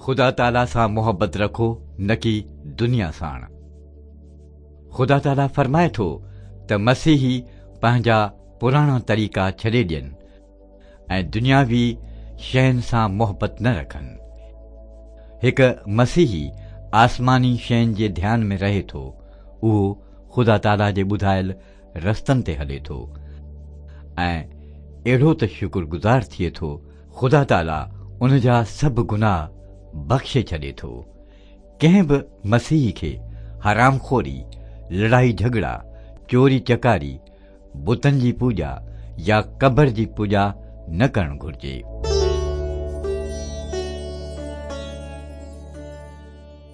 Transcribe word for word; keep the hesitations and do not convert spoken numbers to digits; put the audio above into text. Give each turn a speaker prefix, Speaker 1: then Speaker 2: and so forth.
Speaker 1: خدا تعاليٰ سان محبت رکو، نه ڪي دنيا ساڻ. خدا تعاليٰ فرمائي ٿو ته مسيحي پنهنجا پراڻا طريقا ڇڏي ڏين ۽ دنياوي شين سان محبت نه رکن. هڪ مسيحي آسماني شين جي ڌيان ۾ رهي ٿو. اهو خدا تعاليٰ جي ٻڌايل رستن تي هلي ٿو ۽ اهڙو ته شڪرگذار ٿئي ٿو، خدا تعاليٰ ان جا سڀ گناهه بخشي ڇڏي ٿو. ڪنهن به مسيحي کي حرامخوري، لڙائي جهڳڙا، چوري چڪاري، بتن جي پوڄا يا قبر جي پوڄا نه ڪرڻ گهرجي.